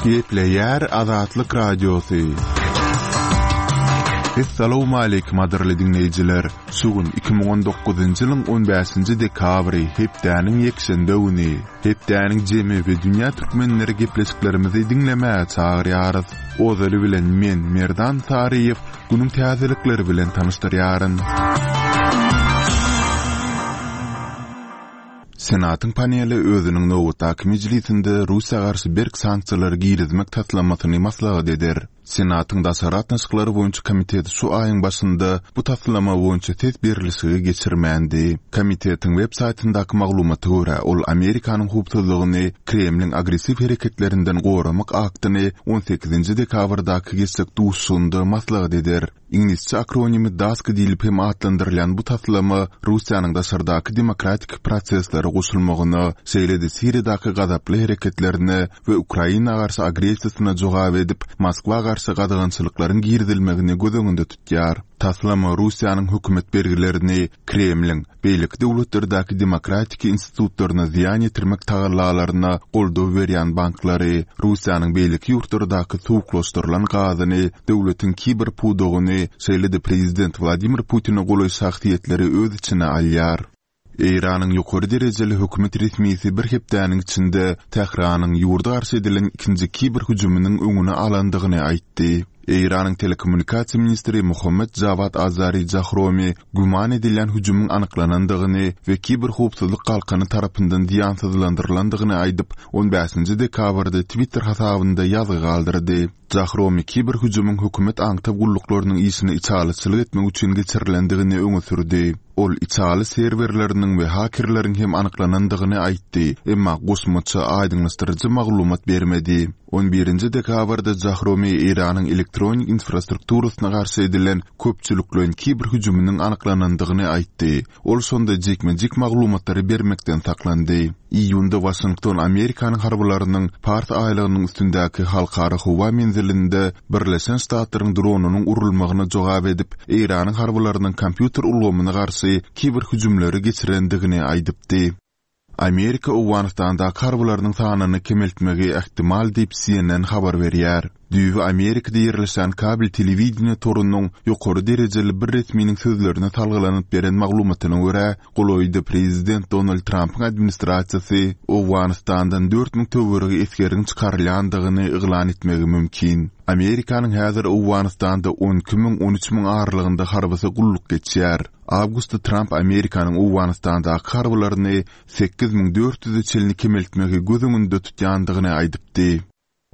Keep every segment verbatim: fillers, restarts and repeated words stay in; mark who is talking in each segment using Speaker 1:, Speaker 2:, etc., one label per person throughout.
Speaker 1: Gepleýär Azatlyk Radiosy. Essalawmaleýkim gadyrly diňleýjiler! Şu gün iki müň on dokuzynjy ýylyň on bäşinji dekabry, hepdäniň ýekşenbe güni. Hepdäniň jemi we dünýä türkmenleri gepleşiklerimizi diňlemäge çagyrýarys. Ozaly bilen men, Merdan Saryýew, günüň täzelikleri bilen tanyşdyrýaryn. Senatyň paneli özüniň nobatdaky mejlisinde Russiýa garşy berk sanksiýalary girizmek taslamasyny maslahat eder. Senatyň daşary gatnaşyklary boýunça komiteti şu aýyň başynda bu taslama boýunça ses berlişigi geçirmändi. Komitetiň web saýtyndaky maglumata görä, ol Amerikanyň howpsuzlygyny Kremliň agressiw hereketlerinden goramak aktyny on sekizinji dekabrdaky geçjek duşuşygynda maslahat eder. Iňlisçe akronimi DASK diýlip hem atlandyrylýan bu taslama Russiýanyň daşardaky demokratik proseslere goşulmagyna, şeýle-de Siriýadaky gazaply hereketlerine we Ukraina garşy agressiýasyna jogap edip, Moskwa garşy gadagançylyklaryň girizilmegini göz öňünde tutýar. Taslama Russiýanyň hökümet bergilerini Kremliň beýleki döwletlerdäki demokratik institutlaryna zyýan ýetirmek tagallalaryna goldaw berýän banklary, Russiýanyň beýleki ýurtlardaky suwuklaşdyrylan gazyny, döwletiň kiber pudagyny, şeýle-de prezident Wladimir Putine golaý şahsyýetleri öz içine alýar. Eýranyň ýokary derejeli hökümet resmisi bir hepdäniň içinde Tähranyň ýurda garşy edilen ikinji kiber hüjüminiň öňüni alandygyny aýtdy. Eýranyň telekommunikasiýa ministri Mohammad Jawad Azari Jahromi güman edilýän hüjümiň anyklanandygyny we kiberhowpsuzlyk galkany tarapyndan zyýansyzlandyrylandygyny aýdyp, on bäşinji dekabrda Twitter hasabynda ýazgy galdyrdy. Jahromi kiberhüjümiň hökümet aňtaw gulluklarynyň işine içalyçylyk etmek üçin geçirilendigini öňe sürdi. Ol içaly serwerleriniň we hakerleriň hem anyklanandygyny aýtdy, emma goşmaça aýdyňlaşdyryjy maglumat bermedi. On birinji dekabrda Jahromi Eýranyň elektronik infrastrukturasyna garşy edilen köpçülikleýin kiberhüjüminiň anyklanandygyny aýtdy. Ol şonda jikme-jik maglumatlary bermekden saklandy. Iýunda Waşington Amerikanyň harbylarynyň Pars aýlagynyň üstündäki halkara howa menzilinde Birleşen Ştatlaryň dronynyň urulmagyna jogap edip, Eýranyň harbylarynyň kompýuter ulgamyna garşy kiberhüjümleri geçirendigini aýdypdy. Amerika Owganystandaky harbylarynyň sanyny kemeltmegi ähtimal diýip C N N habar berýär. Düýbi Amerikada ýerleşen kabel telewideniýe torunyň ýokary derejeli bir resminiň sözlerine salgylanyp beren maglumatyna görä, golaýda prezident Donald Trampyň administrasiýasy Owganystandan dört müň töweregi esgeriň çykarylýandygyny yglan etmegi mümkin. Amerikanyň häzir Owganystanda on iki müň, on üç müň aralygynda harbysy gulluk geçýär. Awgustda Tramp Amerikanyň Owganystandaky harbylaryny sekiz müň dört ýüze çenli kemeltmegi göz öňünde tutýandygyny aýdypdy.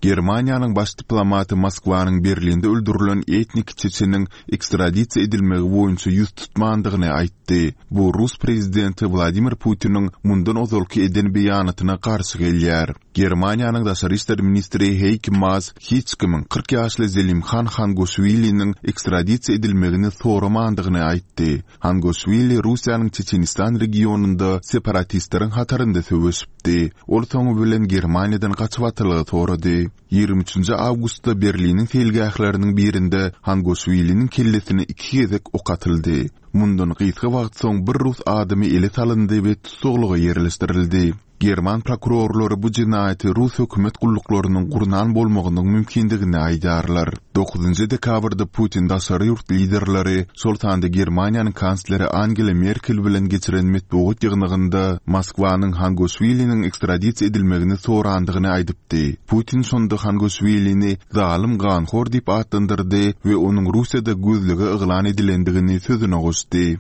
Speaker 1: Germaniýanyň baş diplomaty Moskwanyň Berlinde öldürilen etnik çeçeniň ekstradisiýa edilmegi boýunça ýüz tutmandygyny aýtdy. Bu rus prezidenti Wladimir Putiniň mundan ozalky eden beýanatyna garşy gelýär. Germaniýanyň daşary işler ministri Heike Maas hiç kimiň kyrk ýaşly Zelimhan Hangoşwiliniň ekstradisiýa edilmegini soramandygyny aýtdy. Hangoşwili Russiýanyň Çeçenistan regionynda separatistleriň hatarynda söweşipdi. Ol soňy bilen Germaniýadan gaçybatalga sorady. Ýigrimi üçünji awgustda Berliniň seýilgähleriniň birinde Hangoşwiliniň kellesine iki gezek ok atyldy. Mundan gysga wagt soň bir rus adamy ele salyndy we tussaglyga ýerleşdirildi. German prokurorlary bu jenaýaty rus hökümet gulluklarynyň gurnan bolmagynyň mümkindigini aýdýarlar. Dokuzynjy dekabrda Putin daşary ýurt liderleri, şol sanda Germaniýanyň kansleri Angela Merkel bilen geçiren metbugat ýygnagynda Moskwanyň Hangoşwiliniň ekstradisiýa edilmegini sorandygyny aýdypdy. Putin şonda Hangoşwilini zalym ganhor diýip atlandyrdy we onuň Russiýada gözlege yglan edilendigini sözüne goşdy.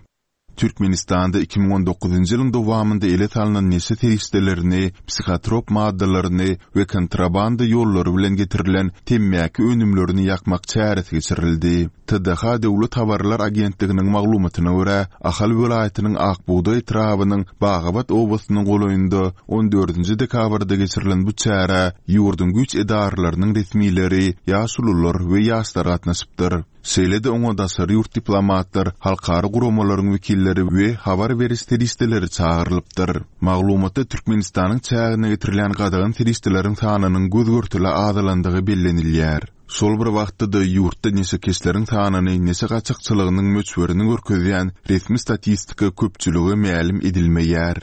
Speaker 1: Türkmenistanda iki müň on dokuzynjy ýylyň dowamynda ele salnan neşe serişdelerini, psihotrop maddalaryny we kontrabanda ýollary bilen getirilen temmäki önümlerini ýakmak çäresi geçirildi. T D H Döwlet habarlar agentliginiň maglumatyna görä, Ahal welaýatynyň Ak bugdaý etrabynyň Bagabat obasynyň golaýynda on dördünji dekabrda geçirilen bu çärä ýurduň güýç edaralarynyň resmileri, ýaşulular we ýaşlar gatnaşypdyr. Şeýle-de oňa daşary ýurt diplomatlar, halkara guramalaryň wekilleri we habar beriş serişdeleri çagyrylypdyr. Maglumatda Türkmenistanyň çägine getirilýän gadagan serişdeleriň sanynyň göz-görtele azalandygy bellenilýär. Şol bir wagtda-da ýurtda neşekeşleriň sanyny, neşe gaçakçylygynyň möçberini görkezýän resmi statistika köpçülige mälim edilmeýär.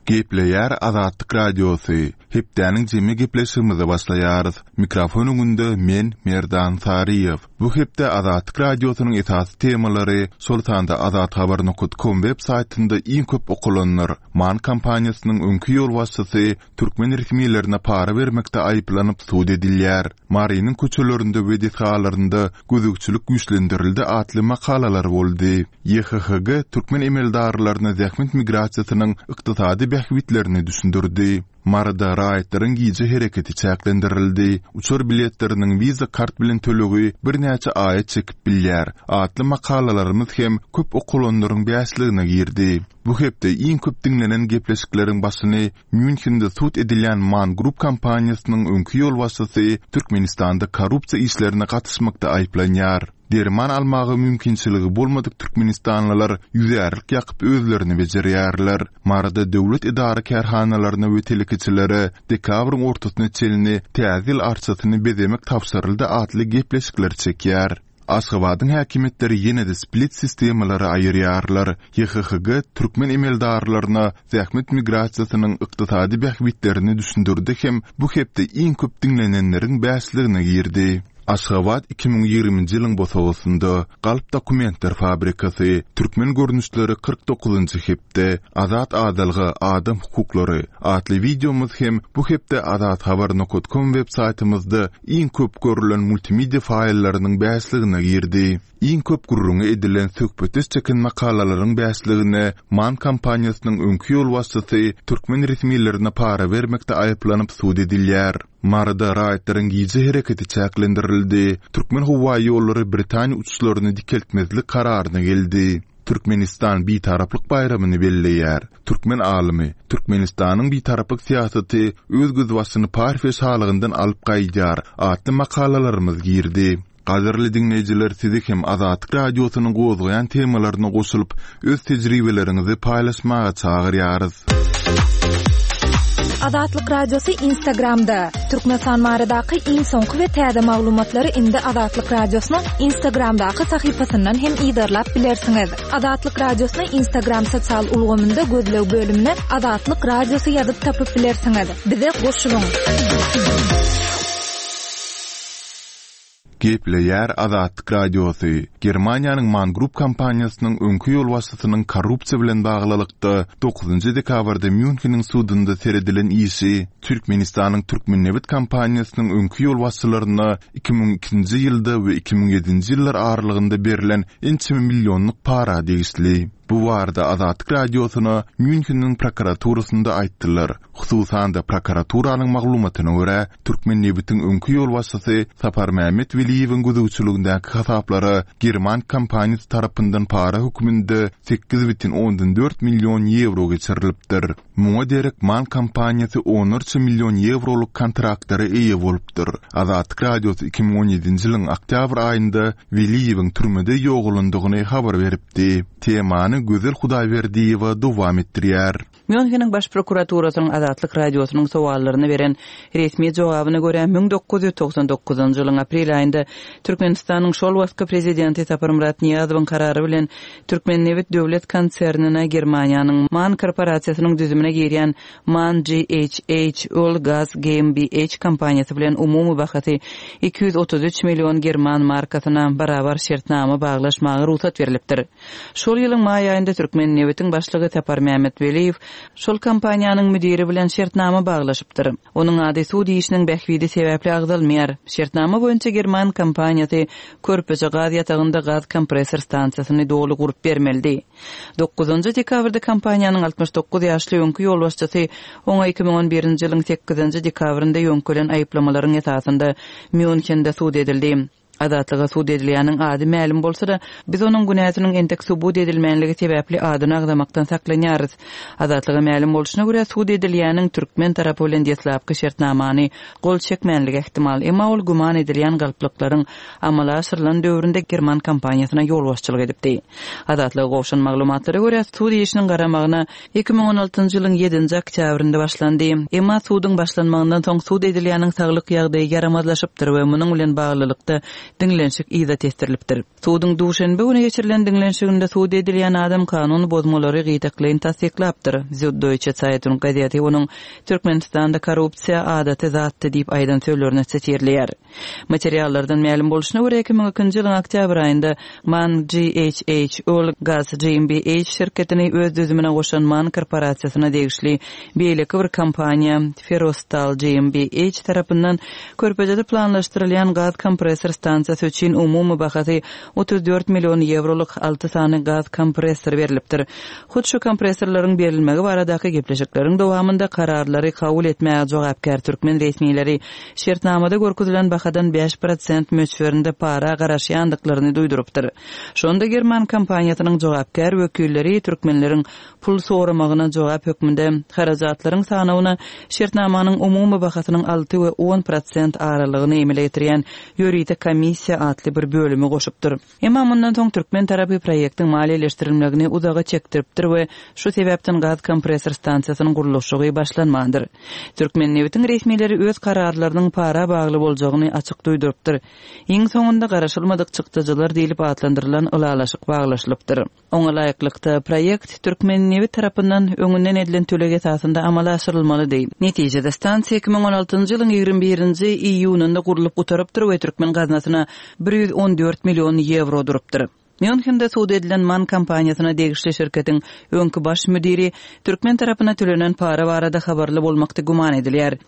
Speaker 1: Gepleýär Azatlyk Radiosy, Hepdäniň jemi gepleşigimize başlaýarys. Mikrofon öňünde men, Merdan Saryýew. Bu hepde Azatlyk Radiosynyň esasy temalary, şol sanda azathabar nokat kom web saýtynda iň köp okalanlar, MAN kompaniýasynyň öňki ýolbaşçysy türkmen resmilerine para bermekde aýyplanyp sud edilýär, Marynyň köçelerinde we desgalarynda gözegçilik güýçlendirildi atly makalalar boldy. Y H H G türkmen emeldarlaryna zähmet migrasiýasynyň ykdysady bähbitlerini düşündirdi. Maryda raýatlaryň gije hereketi çäklendirildi. Uçar biletleriniň Visa kart bilen tölegi birnäçe aýa çekip bilýär atly makalalarymyz hem köp okalanlaryň bäşligine girdi. Bu hepde iň köp diňlenen gepleşikleriň başyny Mýunhende sud edilýän MAN Group kompaniýasynyň öňki ýolbaşçysy Türkmenistanda korrupsiýa işlerine gatyşmakda aýyplanýar. Derman almaga mümkinçiligi bolmadyk türkmenistanlylar ýüzärlik ýakyp özlerini bejerýärler. Maryda döwlet edara kärhanalaryna we telekeçilere dekabryň ortasyna çenli Täze ýyl arçasyny bezemek tabşyryldy atly gepleşikler çekýär. Aşgabadyň häkimiýetleri ýene-de split sistemalary aýyrýarlar. Y H H G türkmen emeldarlaryna zähmet migrasiýasynyň ykdysady bähbitlerini düşündirdi hem bu hepde iň köp diňlenenleriň bäşligine girdi. Aşgabat iki müň ýigriminji ýylyň bosagasynda Galp dokumentler fabrikasy, Türkmen görnüşleri kyrk dokuzynjy hepde, Azat adalga, adam hukuklary atly wideomyz hem bu hepde azathabar nokat kom web saýtymyzda iň köp görülen multimedia faýllarynyň bäşligine girdi. Iň köp gürrüňi edilen söhbetdeş çeken makalalaryň bäşligine MAN kompaniýasynyň öňki ýolbaşçysy türkmen resmilerine para bermekde aýyplanyp sud edilýär. Maryda raýatlaryň gije hereketi çäklendirildi. Türkmen howa ýollary Britaniýa uçuşlaryny dikeltmezlik kararyna geldi. Türkmenistan Bitaraplyk baýramyny belleýär. Türkmen alymy Türkmenistanyň bitaraplyk syýasaty öz gözbaşyny Parfiýa şalygyndan alyp gaýdýar atly makalalarymyz girdi. Gadyrly diňleýjiler, sizi hem Azatlyk Radiosynyň gozgaýan temalaryna goşulyp, öz tejribeleriňizi paýlaşmaga çagyrýarys.
Speaker 2: Azatlyk Radiosy Instagramda. Türkmenistan baradaky iň soňky we täze maglumatlary indi Azatlyk Radiosynyň Instagramdaky sahypasyndan hem yzarlap bilersiňiz. Azatlyk Radiosyny Instagram sosial ulgamynda gözleg bölümine Azatlyk Radiosy ýazyp tapyp bilersiňiz. Bize goşulyň.
Speaker 1: Gepleýär Azatlyk Radiosy. Germaniýanyň MAN Group kompaniýasynyň öňki ýolbaşçysynyň korrupsiýa bilen baglylykda dokuzynjy dekabrda Mýunheniň sudunda seredilen işi Türkmenistanyň Türkmennebit kompaniýasynyň öňki ýolbaşçylaryna iki müň ikinji ýylda we iki müň ýedinji ýyllar aralygynda berlen ençeme millionlyk para degişli. Bu barada Azatlyk Radiosyna Mýunheniň prokuraturasynda aýtdylar. Hususan-da prokuraturanyň maglumatyna görä, Türkmennebitiň öňki ýolbaşçysy Saparmämmet Weliýewiň gözegçiligindäki hasaplara german kompaniýasy tarapyndan para hökmünde sekiz bütin ondan dört million ýewro geçirilipdir. Muňa derek MAN kompaniýasy onlarça million ýewrolyk kontraktlara eýe bolupdyr. Azatlyk Radiosy iki müň on ýedinji ýylyň oktýabr aýynda Weliýewiň türmede ýogalandygyny habar beripdi. Temany Gözel Hudaýberdiýewa dowam etdirýär.
Speaker 3: Mýunheniň baş prokuraturasynyň Azatlyk Radiosynyň sowallaryna beren resmi jogabyna görä, müň dokuz ýüz togsan dokuzynjy ýylyň aprel aýynda Türkmenistanyň şol wagtky prezidenti Saparmyrat Nyýazowyň karary bilen Türkmennebit döwlet konsernine Germaniýanyň MAN korporasiýasynyň düzümine girýän MAN G H H Öl Gaz G M B H kompaniýasy bilen umumy bahasy iki ýüz otuz üç million german markasyna barabar şertnama baglaşmaga rugsat berlipdir. Şol ýylyň maý aýynda Türkmennebitiň başlygy Saparmämmet Weliýew şol kompaniýanyň müdiri bilen şertnama baglaşypdyr. Onuň ady sud işiniň bähbidi sebäpli agzalmaýar. Şertnama boýunça german kompaniýasy Körpeje gaz ýatagynda gaz kompressor stansiýasyny doly gurup bermelidi. Dokuzynjy dekabrda kompaniýanyň altmyş dokuz ýaşly öňki ýolbaşçysy oňa iki müň on birinji ýylyň sekizinji dekabrynda ýöňkelen aýyplamalaryň esasynda Mýunhende sud edildi. Azatlyga sud edilýäniň ady mälim bolsa-da, biz onuň günäsiniň entek subut edilmänligi sebäpli adyny agzamakdan saklanýarys. Azatlyga mälim bolşuna görä sud edilýäniň türkmen tarapy bilen deslapky şertnamany gol çekmänligi ähtimal, emma ol güman edilýän galplyklaryň amala aşyrylan döwründe german kompaniýasyna ýolbaşçylyk edipdi. Azatlyga gowşan maglumatlara görä sud işiniň garamagyna iki müň on altynjy ýylyň ýedinji oktýabrynda başlandy. Emma suduň başlanmagyndan soň sud edilýäniň saglyk ýagdaýy ýaramazlaşypdyr we munuň bilen baglylykda diňlenişik yza tesdirilipdir. Suduň duşenbe güni geçirilen diňlenişiginde sud edilýän adam kanun bozmalary gytaklaýyn tassyklapdyr. Süddeutsche Zeitung gazeti onuň Türkmenistanda korrupsiýa adaty zatdy diýip aýdan sözlerini sitirleýär. Materiallardan mälim bolşuna görä iki müň ikinji ýylyň oktýabr aýynda MAN G H H Öl Gaz G M B H şirketini öz düzümine goşan MAN korporasiýasyna degişli beýleki bir kompaniýa Ferostal G M B H tarapyndan Körpejede planlaşdyrylýan gaz kompressor stansiýasy üçin umumy bahasy otuz dört million ýewrolyk alty sany gaz kompressor berlipdir. Hut şu kompressorlaryň berilmegi baradaky gepleşikleriň dowamynda kararlary kabul etmäge jogapkär türkmen resmileri şertnamada görkezilen bahadan bäş prosent möçberinde para garaşýandyklaryny duýdurypdyr. Şonda German kompaniýasynyň jogapkär wekilleri türkmenleriň pul soramagyna jogap hökmünde harajatlaryň sanawyna şertnamanyň umumy bahasynyň alty we on prosent aralygyny emele getirýän ýörite komissiýa atly bir bölümi goşupdyr. Emma mundan soň türkmen tarapy proýektiň maliýeleşdirilmegini uzaga çekdiripdir we şu sebäpden gaz kompressor stansiýasynyň gurluşygy başlanmandyr. Türkmen nebitiň resmileri öz kararlarynyň para bagly boljagyny açyk duýdurypdyr. Iň soňunda garaşylmadyk çykdajylar diýlip atlandyrylan ylalaşyk baglaşylypdyr. Oňa laýyklykda proýekt Türkmen nebit tarapyndan öňünden edilen töleg esasynda amala aşyrylmalydy. Netijede stansiýa iki müň on altynjy ýylyň ýigrimi birinji iýunynda gurlup gutarypdyr we türkmen gaznasyna bir ýüz on dört million ýewro durupdyr. Mýunhende sud edilen MAN kompaniýasyna degişli şirketiň öňki baş müdiri türkmen tarapyna tölenen para barada habarly bolmakda güman edilýär.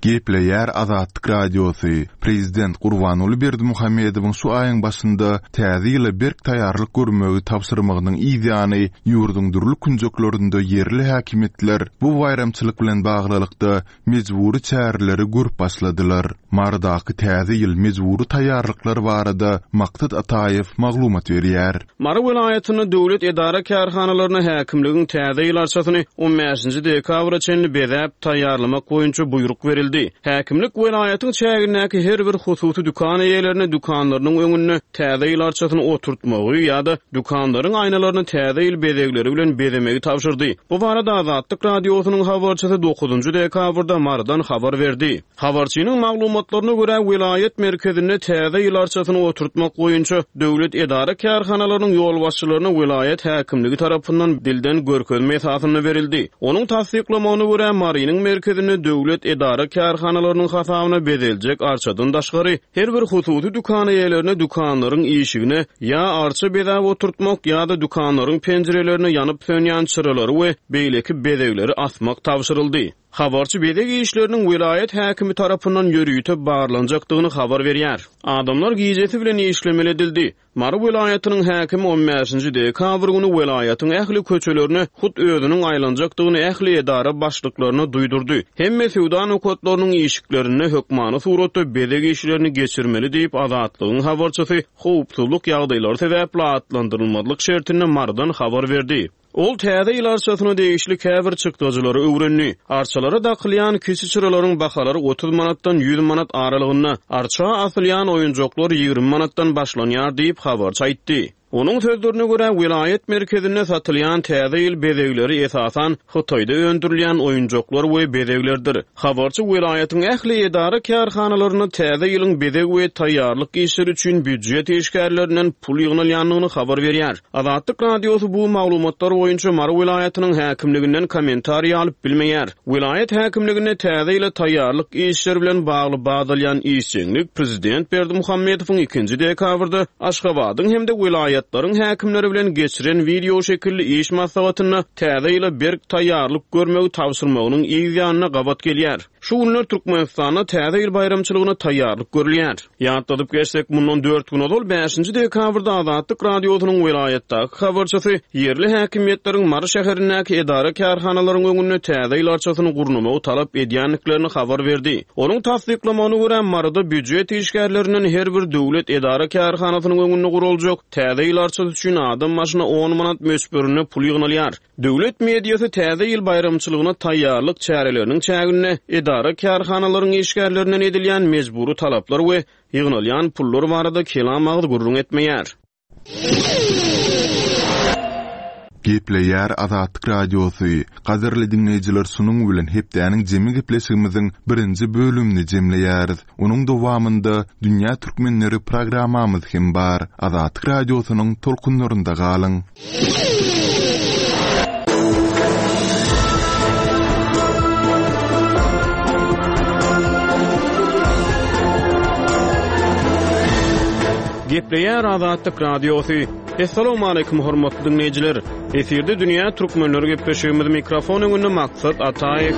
Speaker 1: Gepleýär Azatlyk Radiosy. Prezident Gurbanguly Berdimuhamedowyň şu aýyň başynda täze ýyla berk taýýarlyk görmegi tabşyrmagynyň ýany ýurduň dürli künjeklerinde ýerli häkimiýetler bu baýramçylyk bilen baglylykda mejbury çäreleri görüp başladylar. Marydaky täze ýyl mejbury taýýarlyklar barada Maksat Ataýew maglumat berýär.
Speaker 4: Mary welaýatynda döwlet edara kärhanalaryna häkimligiň täze ýyl arçasyny on bäşinji dekabra çenli bezäp taýýarlamak boýunça buýruk berildi. Häkimlik welaýatyň çägindäki her bir hususy dükan eýelerine dükanlarynyň öňünde täze ýyl arçasyny oturtmagy ýa-da dükanlaryň aýnalaryny täze ýyl bezegleri bilen bezemegi tabşyrdy. Bu barada Azatlyk Radiosynyň habarçysy dokuzynjy dekabrda Marydan habar berdi. Habarçynyň maglumatlaryna görä welaýat merkezinde täze ýyl arçasyny oturtmak boýunça döwlet edara kärhanalarynyň ýolbaşçylaryna welaýat häkimligi tarapyndan dilden görkezme esasynda berildi. Onuň tassyklamagyna görä Marynyň merkezinde döwlet edara kärhanalarynyň hasabyna bezeljek arçadan daşgary her bir hususy dükan eýelerine dükanlaryň işigine ýa arça bezäp oturtmak ýa-da dükanlaryň penjirelerine ýanyp sönýän çyralary we beýleki bezegleri asmak tabşyryldy. Habarçy bezeg işleriniň welaýat häkimi tarapyndan ýörite barlanjakdygyny habar berýär. Adamlar gijesi bilen işlemeli edildi. Mary welaýatynyň häkimi on bäşinji dekabr güni welaýatyň ähli köçelerine hut özüniň aýlanjakdygyny ähli edara başlyklaryna duýdurdy. Hemme söwda nokatlarynyň işiklerinde hökmany suratda bezeg işlerini geçirmeli diýip Azatlygyň habarçysy howpsuzlyk ýagdaýlary sebäpli atlandyrylmazlyk şertinde Marydan habar berdi. Ol täze ýyl arçasyna degişli käbir çykdajylary öwrendi. Arçalara dakylýan kiçi çyralaryň bahalary otuz manatdan ýüz manat aralygynda, arça asylýan oýunjaklar ýigrimi manatdan başlanýar diýip habarçy aýtdy. Onuň sözlerine görä welaýat merkezinde satylýan täze ýyl bezegleri esasan Hytaýda öndürilýän oýunjaklar we bezeglerdir. Habarçy welaýatyň ähli edara kärhanalaryna täze ýylyň bezeg we taýýarlyk işleri üçin býujet işgärlerinden pul ýygnalýandygyny habar berýär. Azatlyk Radiosy bu maglumatlar boýunça Mary welaýatynyň häkimliginden kommentariý alyp bilmeýär. Welaýat häkimliginde täze ýyla taýýarlyk işleri bilen bagly badalýan işjeňlik Prezident Berdimuhamedowyň ikinji dekabrda Aşgabadyň hem-de welaýatlaryň häkimleri bilen geçiren video şekilli iş maslahatynda täze ýyla berk taýýarlyk görmegi tabşyrmagynyň yz ýanyna gabat gelýär. Şu günler Türkmenistanda täze ýyl baýramçylygyna taýýarlyk görülýär. Ýatladyp geçsek, mundan dört gün ozal bäşinji dekabrda Azatlyk Radiosynyň welaýatdaky habarçysy ýerli häkimiýetleriň Mary şäherindäki edara kärhanalaryň öňünde täze ýyl arçasyny gurnamagy talap edýändiklerini habar berdi. Onuň tassyklamagyna görä Maryda býujet işgärlerinden her bir döwlet edara kärhanasynyň öňünde guruljak täze ýyl arçasy üçin adam başyna on manat möçberinde pul ýygnalýar. Döwlet mediasy täze ýyl baýramçylygyna taýýarlyk çäreleriniň çäginde edara kärhanalaryň işgärlerinden edilýän mejbury talaplar we ýygnalýan pullar barada kelam agyz gürrüň etmeýär.
Speaker 1: Gepleýär Azatlyk Radiosy. Gadyrly diňleýjiler, şunuň bilen hepdäniň jemi gepleşigimiziň birinji bölümini jemleýäris. Onuň dowamynda Dünýä Türkmenleri programmamyz hem bar. Azatlyk Radiosynyň tolkunlarynda galyň.
Speaker 4: Gepleýär Azatlyk Radiosy. Assalamualaikum hormatly dinleýjiler. Efirde Dünýä Türkmenleri gepleşigimiz mikrofon öňünde Maksat Ataýew.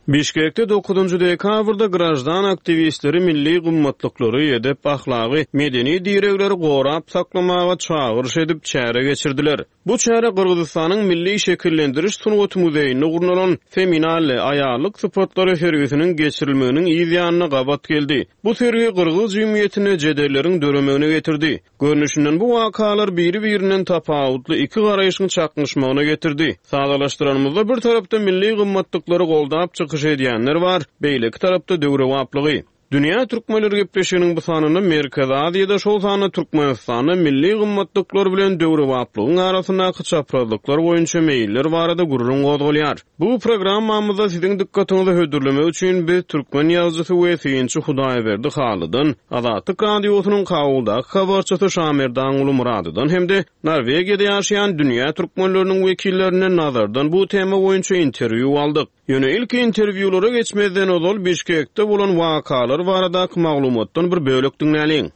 Speaker 4: Bişkekde dokuzynjy dekabrda graždan aktiwistleri milli gymmatlyklary, edep-ahlagy, medeni diregleri gorap saklamaga çagyryş edip çäre geçirdiler. Bu çäre Gyrgyzystanyň Milli şekillendiriş sungaty muzeýinde gurnalan Feminalle aýallyk sypatlary sergisiniň geçirilmeginiň yz ýanyna gabat geldi. Bu sergi gyrgyz jemgyýetinde jedelleriň döremegine getirdi. Görnüşinden bu wakalar biri-birinden tapawutly iki garaýşyň çaknyşmagyna getirdi. Sadalaşdyranymyzda bir tarapda milli gymmatlyklary goldap çykyş edýänler bar, beýleki tarapda döwrebaplygy. Dünýä Türkmenleri gepleşiginiň bu sanynda Merkezi Aziýada, şol sanda Türkmenistanda milli gymmatlyklar bilen döwrebaplygyň arasyndaky çaprazlyklar boýunça meýiller barada gürrüň gozgalýar. Bu programmamyzda siziň dykgatyňyzy hödürlemek üçin biz türkmen ýazyjysy we synçy Hudaýberdi Halydan, Azatlyk Radiosynyň Kabuldaky habarçysy Şamerdanguly Muradydan hem-de Norwegiýada ýaşaýan dünýä türkmenleriniň wekillerinden nazardan bu tema boýunça interwýu aldyk. Ýöne ilki interwýulara geçmezden ozal Bişkekde bolan wakalar baradaky maglumatdan bir bölek diňläliň.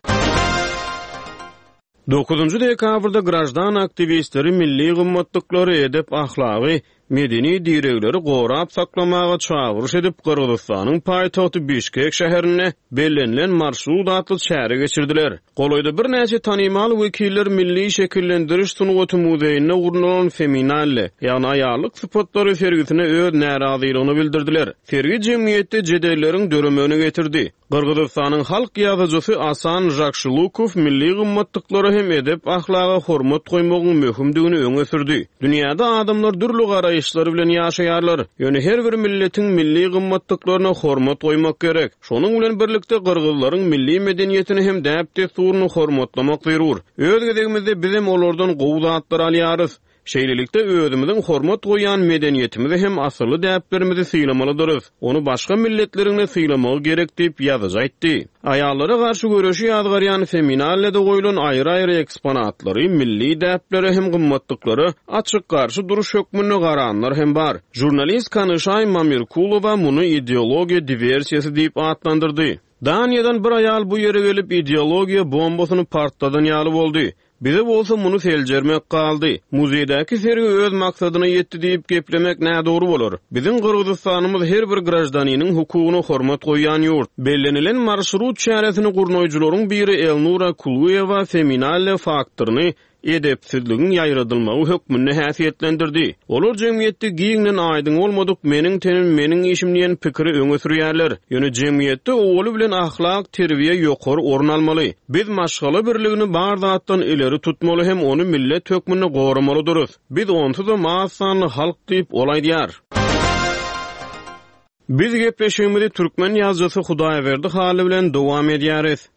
Speaker 4: Dokuzynjy dekabrda graždan aktiwistleri milli gymmatlyklary, edep ahlagy, medeni diregleri gorap saklamaga çagyryş edip Gyrgyzystanyň paýtagty Bişkek şäherinde bellenilen marşrut atly çäre geçirdiler. Golaýda birnäçe tanymal wekiller Milli şekillendiriş sungaty muzeýinde gurnalan Feminalle, ýagny aýallyk sypatlary sergisine öz närazylygyny bildirdiler. Sergi jemgyýetde jedelleriň döremegine getirdi. Gyrgyzystanyň halk ýazyjysy Asan Žakşylukow milli gymmatlyklara hem edep ahlaga hormat goýmagyň möhümdigini öňe sürdi. Dünýäde adamlar dürli garaýyşlar bilen ýaşaýarlar. Ýöne her bir milletiň milli gymmatlyklaryna hormat goýmak gerek. Şonuň bilen birlikde gyrgyzlaryň milli medeniýetini hem däp-dessuryny hormatlamak zerur. Öz gezegimizde bizem olardan gowy zatlar alýarys. Şeýlelikde özümiziň hormat goýan medeniýetimizi hem asylly däplerimizi sylamalydyrys. Ony başga milletleriň sylamagy gerek diýip ýazyjy aýtdy. Aýallara garşy göreşi ýazgarýan Feminallede goýlan aýry-aýry eksponatlary milli däplere hem gymmatlyklara açyk garşy duruş hökmünde garanlar hem bar. Jurnalist Kanyşaý Mamirkulowa muny ideologiýa diwersiýasy diýip atlandyrdy. Daniýadan bir aýal bu ýere gelip ideologiýa bombasyny partladan ýaly boldy. Bize bolsa muny seljermek galdy. Muzeýdäki sergi öz maksadyna ýetdi diýip geplemek nädogry bolar. Biziň Gyrgyzystanymyz her bir graždaniniň hukugyna hormat goýýan ýurt. Bellenilen marşrut çäresini gurnaýjylaryň biri Elnura Kuluýewa Feminalle faktoryny edepsizligiň ýaýradylmagy hökmünde häsiýetlendirdi. Olar jemgyýetde giňden aýdyň bolmadyk meniň tenim meniň işim diýen pikiri öňe sürýärler. Ýöne jemgyýetde owaly bilen ahlak terbiýe ýokary orun almaly. Biz maşgala birligini bar zatdan ileri tutmaly hem ony millet hökmünde goramalydyrys. Biz onsuz-da az sanly halk diýip ol aýdýar. Biz gepleşigimizi türkmen ýazyjysy Hudaýberdi Haly bilen dowam edýäris.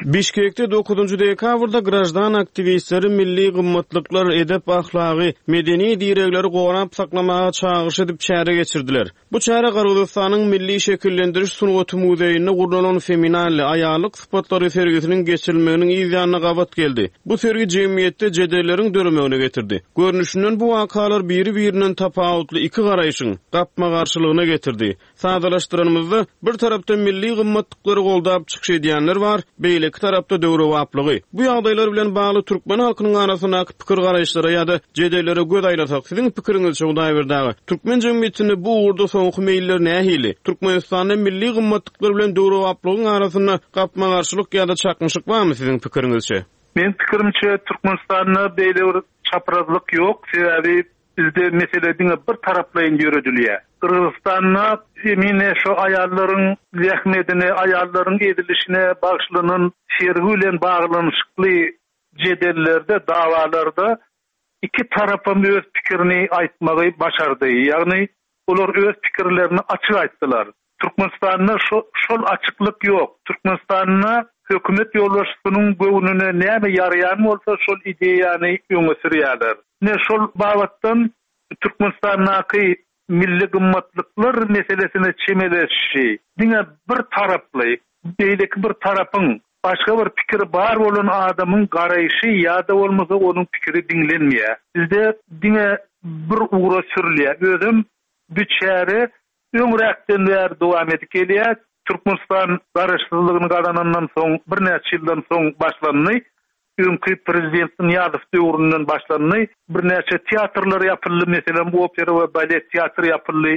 Speaker 4: Bişkekde dokuzynjy dekabrda graždan aktiwistleri milli gymmatlyklar, edep ahlagy, medeni diregleri gorap saklamaga çagyryş edip çäre geçirdiler. Bu çäre Gyrgyzystanyň Milli şekillendiriş sungaty muzeýinde gurnalan Feminalle aýallyk sypatlary sergisiniň geçirilmeginiň yz ýanyna gabat geldi. Bu sergi jemgyýetde jedelleriň döremegine getirdi. Görnüşinden bu wakalar biri-birinden tapawutly iki garaýşyň gapma-garşylygyna getirdi. Sadalaşdyranymyzda bir tarapda milli gymmatlyklary goldap çykyş edýänler bar, beýleki tarapda döwrebaplygy. Bu ýagdaýlar bilen bagly türkmen halkynyň arasyndaky pikir garaýyşlara ýa-da jedellere göz aýlasak, siziň pikiriňizçe Hudaýberdi aga, türkmen jemgyýetinde bu ugurda soňky meýiller nähili? Türkmenistanda milli gymmatlyklar bilen döwrebaplygyň arasynda gapma-garşylyk ýa-da çaknyşyk barmy siziň pikiriňizçe?
Speaker 5: Men pikirimçe Türkmenistanda beýle bir çaprazlyk ýok, sebäbi bizde mesele diňe bir taraplaýyn ýöredilýär. Gyrgyzystanda emine şu aýallaryň zähmetine, aýallaryň edilişine bagşlanan sergi bilen baglanyşykly jedellerde, davalarda iki tarapam öz pikirini aýtmagy başardy. Ýagny olar öz pikirlerini açyk aýtdylar. Türkmenistanda şol açyklyk ýok. Türkmenistanda hökümet ýolbaşçysynyň göwnüne näme ýaraýan bolsa şol ideýany öňe sürýärler. Ine şol babatdan Türkmenistandaky milli gymmatlyklar meselesine çemeleşişi diňe bir taraply, beýleki bir tarapyň başga bir pikiri bar bolan adamyň garaýşy ýa-da bolmasa onuň pikiri diňlenmeýär. Bizde diňe bir ugra sürülýär. Özem bu çäre öňräkden bäri dowam edip gelýär. Türkmenistan garaşsyzlygyny gazanandan soň birnäçe ýyldan soň başlandy. Öňki prezident Nyýazow döwründen başlandy. Birnäçe teatrlar ýapyldy, meselem opera we balet teatry ýapyldy.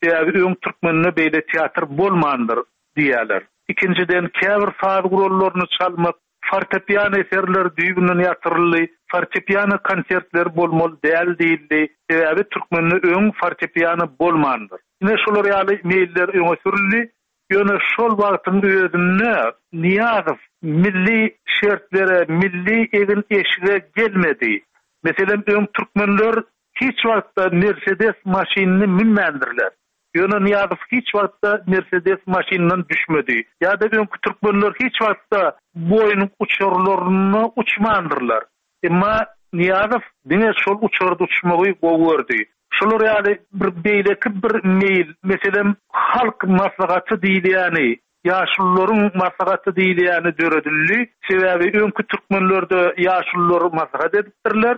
Speaker 5: Sebäbi öň türkmende beýle teatr bolmandyr diýýärler. Ikinjiden käbir saz gurallaryny çalmak, fortepiano eserleri düýbünden ýatyryldy, fortepiano konsertleri bolmaly däl diýildi. Sebäbi türkmende öň fortepiano bolmandyr. Ine şolar ýaly meýiller öňe sürüldi. Ýöne şol wagtyň özünde Nyýazow milli şertlere, milli egin eşige gelmedi. Meselem öň türkmenler hiç wagtda Mercedes maşynyny münmändirler. Ýöne Nyýazow hiç wagtda Mercedes maşynyndan düşmedi. Ýa-da öňki türkmenler hiç wagtda Boeing uçarlaryna uçmandyrlar. Emma Nyýazow diňe şol uçarda uçmagy gowy gördi. Şolar ýaly bir beýleki bir meýil, meselem halk maslahaty diýilýäni, ýaşulularyň maslahaty diýilýäni döredildi. Sebäbi öňki türkmenlerde ýaşulular maslahat edipdirler.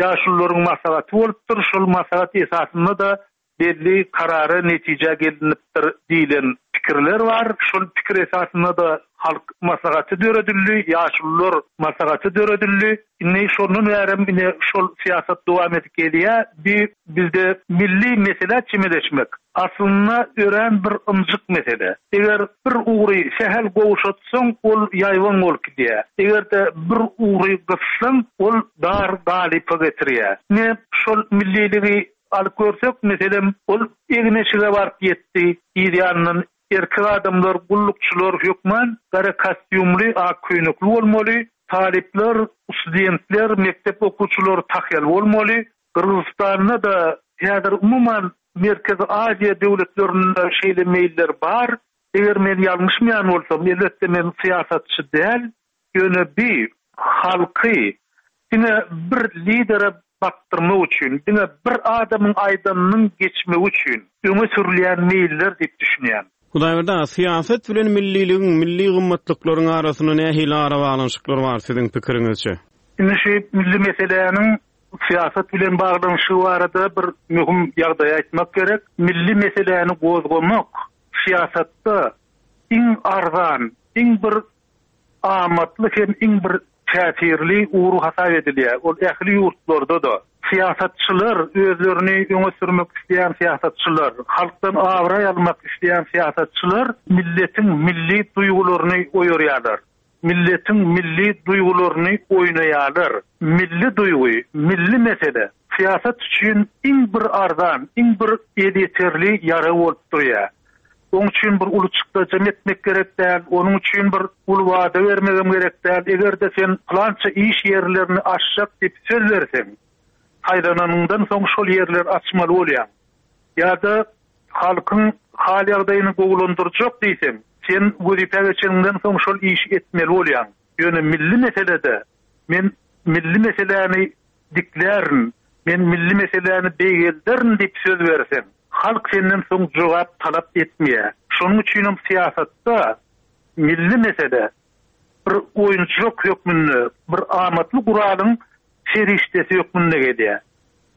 Speaker 5: Ýaşulularyň maslahaty bolupdyr. Şol maslahat esasynda-da belli karara netije gelinipdir diýilen pikirler bar. Şol pikir esasynda-da halk maslahaty döredildi, ýaşulular maslahaty döredildi. Indi şondan bärem ine şol syýasat dowam edip gelýär. Bi bizde milli mesele çemeleşmek aslynda örän bir ynjyk mesele. Eger bir ugry sähel gowşatsaň, ol ýaýbaň bolup gidýär. Eger-de bir ugry gyssaň, ol dar galypa getirýär. Ine şol milliligi alyp görsek, meselem, ol egin-eşige baryp ýetdi, yz ýanyndan erkek adamlar, gullukçylar hökman gara kostýumly, ak köýnekli bolmaly, talyplar, studentler, mekdep okuwçylary tahýaly bolmaly. Gyrgyzystanda-da häzir umuman Merkezi Aziýa döwletlerinde şeýle meýiller bar. Eger men ýalňyşmaýan bolsam, elbetde men syýasatçy däl, ýöne bi halky diňe bir lidere bakdyrmak üçin, diňe bir adamyň aýdanynyň geçmegi üçin öňe sürülýän meýiller diýip düşünýän.
Speaker 4: Hudaýberdi aga, syýasat bilen milliligiň, milli gymmatlyklaryň arasynda nähili arabaglanyşyklar bar siziň pikiriňizçe?
Speaker 5: Indi şu milli meseläniň syýasat bilen baglanyşygy barada bir möhüm ýagdaý aýtmak gerek. Milli meseläni gozgamak syýasatda iň arzan, iň bir amatly hem iň bir täsirli ugur hasap edilýär. Ol ähli ýurtlarda-da syýasatçylar özlerini öňe sürmek isleýän syýasatçylar, halkdan abraý almak isleýän syýasatçylar milletiň milli duýgularyny oýarýarlar. Milletiň milli duýgularyny oýnaýarlar. Milli duýgy, milli mesele syýasat üçin iň bir arzan, iň bir elýeterli ýarag bolup durýar. Onuň üçin bir uly çykdajy etmek gerek däl, onuň üçin bir uly wada bermegem gerek däl. Eger-de sen plança iş ýerlerini açjak diýip söz berseň, saýlananyňdan soň şol ýerleri açmaly bolýar. Ýa-da halkyň hal ýagdaýyny gowulandyrjak diýseň, sen wezipe geçeniňden soň şol işi etmeli bolýar. Ýöne milli meselede men milli meseläni diklärin, men milli meseläni beýgelderin diýip söz berseň, halk senden soň jogap talap etmeýär. Şonuň üçin hem syýasatda milli mesele bir oýunçylyk hökmünde, bir amatly guralyň serişdesi hökmünde gelýär.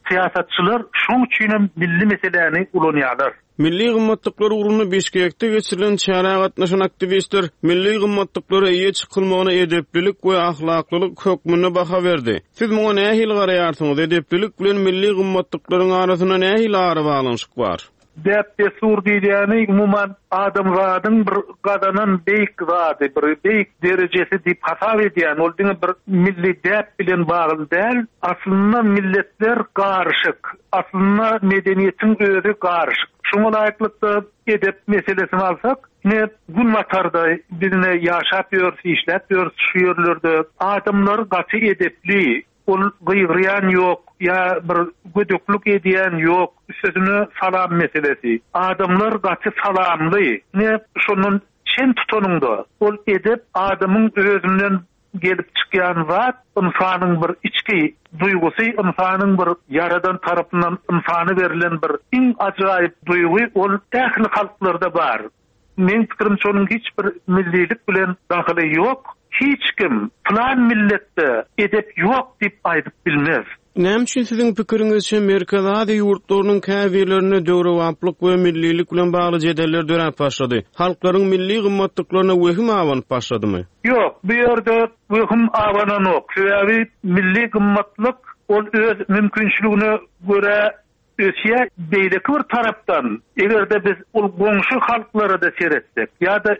Speaker 5: Syýasatçylar şonuň üçin hem milli meseläni ulanýarlar.
Speaker 4: Milli gymmatlyklar ugrunda Bişkekde geçirilen çärä gatnaşan aktiwistler milli gymmatlyklara eýe çykylmagyna edeplilik we ahlaklylyk hökmünde baha berdi. Siz muňa nähili garaýarsyňyz? Edeplilik bilen milli gymmatlyklaryň arasynda nähili arabaglanyşyk bar?
Speaker 5: Däp-dessur diýilýäni umuman adamzadyň bir gazanan beýik zady, bir beýik derejesi diýip hasap edýän, ol diňe bir milli däp bilen bagly däl, aslynda milletler garyşyk, aslynda medeniýetiň özi garyşyk. Şoňa laýyklykda edep meselesini alsak, ine günbatarda biz ine ýaşap ýörüs, işläp ýörüs şu ýerlerde adamlar gaty edepli, Ol gygyrýan ýok, ýa bir gödeklik edýän ýok. Üstesine salam meselesi. Adamlar gaty salamly. Ne şondan çen tutanyňda ol edep adamyň özünden gelip çykýan zat, ynsanyň bir içki duýgusy, ynsanyň bir ýaradan tarapyndan ynsana berlen bir iň ajaýyp duýgy, ol ähli halklarda bar. Meň pikirimçe onuň hiç bir millilik bilen dahyly ýok. Hiç kim plan milletde edep ýok diýip aýdyp bilmez.
Speaker 4: Näme üçin siziň pikiriňizçe Merkezi Aziýa ýurtlarynyň käbirlerinde döwrebaplyk we millilik bilen bagly jedeller döräp başlady? Halklaryň milli gymmatlyklaryna wehim abanyp başladymy?
Speaker 5: Ýok, bu ýerde wehim abananok. Sebäbi milli gymmatlyk ol öz mümkinçiligine görä ösýär. Beýleki bir tarapdan, eger-de biz ol goňşy halklara-da seretsek ýa-da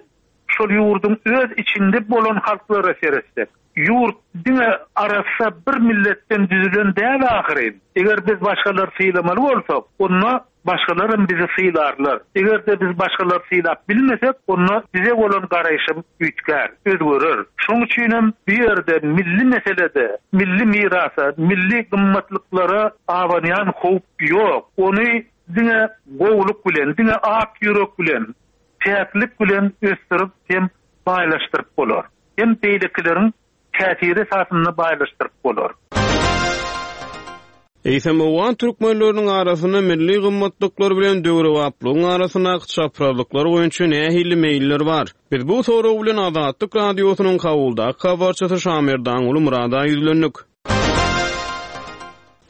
Speaker 5: şol ýurduň öz içinde bolan halklara seretsek, ýurt diňe arassa bir milletden düzülen däl ahyryn. Eger biz başgalary sylamaly bolsak, onda başgalar hem bizi sylarlar. Eger-de biz başgalary sylap bilmesek, onda bize bolan garaýşym üýtgär, özgerer. Şonuň üçin hem bu ýerde milli meselede, milli mirasa, milli gymmatlyklara abanýan howp ýok. Ony diňe gowulyk bilen, diňe ak ýürek bilen, päklik bilen ösdürip hem baýlaşdyryp bolar. Hem beýlekileriň täsiri esasynda baýlaşdyryp bolar.
Speaker 4: Eýsem, owgan türkmenleriniň arasynda milli gymmatlyklar bilen döwrebaplygyň arasyndaky çaprazlyklar boýunça nähili meýiller bar? Biz bu sorag bilen Azatlyk Radiosynyň Kabuldaky habarçysy Şamerdanguly Murada ýüzlendik.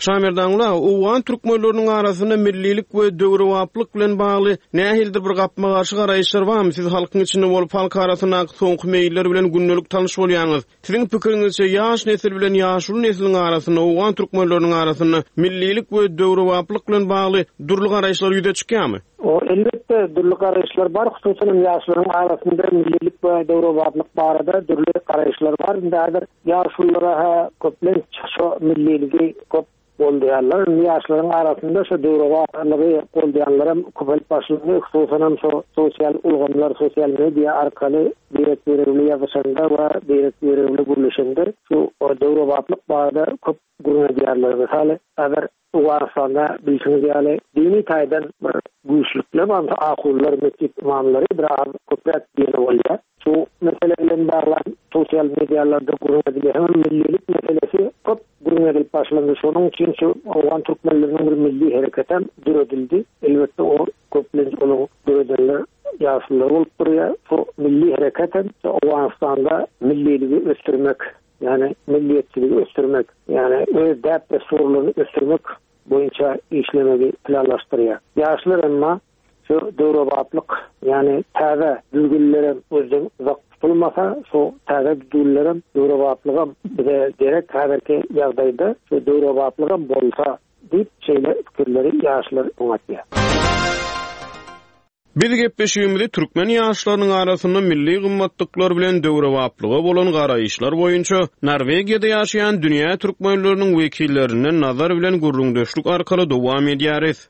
Speaker 4: Şamerdanguly aga, owgan türkmenleriniň arasynda millilik we döwrebaplyk bilen bagly nähilidir bir gapma-garşy garaýyşlar barmy? Siz halkyň içinde bolup, halk arasyndaky soňky meýiller bilen gündelik tanyş bolýaňyz. Siziň pikiriňizçe ýaş nesil bilen ýaşuly nesliň arasynda, owgan türkmenleriniň arasynda millilik we döwrebaplyk bilen bagly dürli garaýyşlar ýüze çykýarmy?
Speaker 6: O elbetde dürli garaýyşlar bar, hususan ýaşlaryň arasynda millilik we döwrebaplyk barada dürli garaýyşlar bar. Indi häzir ýaşululara ha köplenç şu milliligi köp goldaýarlar. Indi ýaşlaryň arasynda şu döwrebaplygy goldaýanlar hem köpelip başlandy. Hususan hem şu sosial ulgamlar, sosial media arkaly birek-birek ýazyşanda we birek-birek gürleşende şu döwrebaplyk barada köp gürrüň edýärler. Mysal, häzir Owganystanda bilşiňiz ýaly dini taýdan bir güýçlükler bar. Ahunlar, mesjit imamlary biraz köpräk diýene bolýar. Şu mesele bilen baglan sosial medialarda gürrüň edilýär. Hem millilik meselesi köp gürrüň edilip başlandy. Şonuň üçin şu owgan türkmenleriniň bir milli hereketi hem döredildi. Elbetde o köplenç onuň döredenler ýaşulular bolup durýar. Şu milli hereket hem Owganystanda milliligi ösdürmek, ýagny milliyetçiligi ösdürmek, ýagny öz däp-dessurlaryny ösdürmek boýunça işlemegi planlaşdyrýar. Ýaşlar emma şu döwrebaplyk, ýagny täze düzgünlere özden uzak tutulmasa, şu täze düzgünlere döwrebaplygam bize gerek häzirki ýagdaýda şu döwrebaplygam bolsa diýip şeýle pikirleri ýaşlar öňe atýar.
Speaker 4: Biz gepleşigimizi türkmen ýaşlarynyň arasynda milli gymmatlyklar bilen döwrebaplyga bolan garaýyşlar boýunça Norwegiýada ýaşaýan dünýä türkmenleriniň wekillerinden Nazar bilen gürrüňdeşlik arkaly dowam edýäris.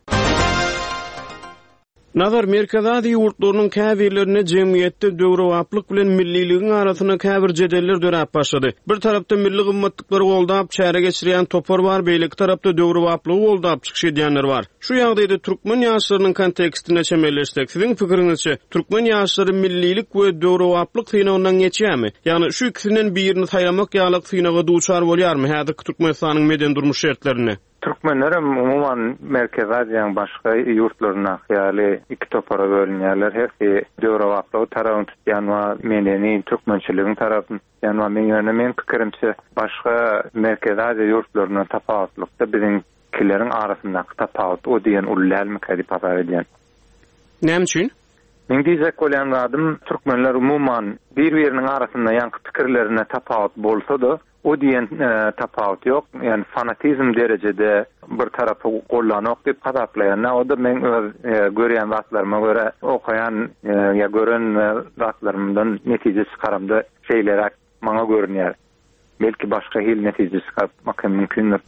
Speaker 4: Nazar, Merkezi Aziýa ýurtlarynyň käbirlerinde jemgyýetde döwrebaplyk bilen milliligiň arasynda käbir jedeller döräp başlady. Bir tarapda milli gymmatlyklary goldap çäre geçirýän topar bar, beýleki tarapda döwrebaplygy goldap çykyş edýänler bar. Şu ýagdaýda türkmen ýaşlarynyň kontekstine çemeleşsek, siziň pikiriňizçe türkmen ýaşlary millilik we döwrebaplyk synagyndan geçýärmi? Ýagny şu ikisinden birini saýlamak ýaly synaga duçar bolýarmy häzirki Türkmenistanyň medeni durmuş şertlerinde?
Speaker 7: Türkmenler hem umuman Merkezi Aziýanyň başga ýurtlaryndaky ýaly iki topara bölünýärler. Hersi döwrebaplygy tarapyny tutýan we medeni türkmençiligiň tarapyny tutýan we men ýöne men pikirimçe başga Merkezi Aziýa ýurtlaryndan tapawutlykda biziňkileriň arasyndaky tapawut o diýen uly dälmikä diýip hasap edýän.
Speaker 4: Näme üçin?
Speaker 7: Men diýjek bolýan zadym, türkmenler umuman bir-biriniň arasynda ýaňky pikirlerine tapawut bolsa-da, o diýen, e, tapawut ýok. Ýani fanatizm derejede bir tarapy gollanok diýip hasaplaýan. O da men öz, e, görýän zatlaryma görä okaýan, e, ýa gören, e, zatlarymdan netije çykaramda şeýleräk maňa görünýär. Belki başga hil netije çykarmak hem mümkindir.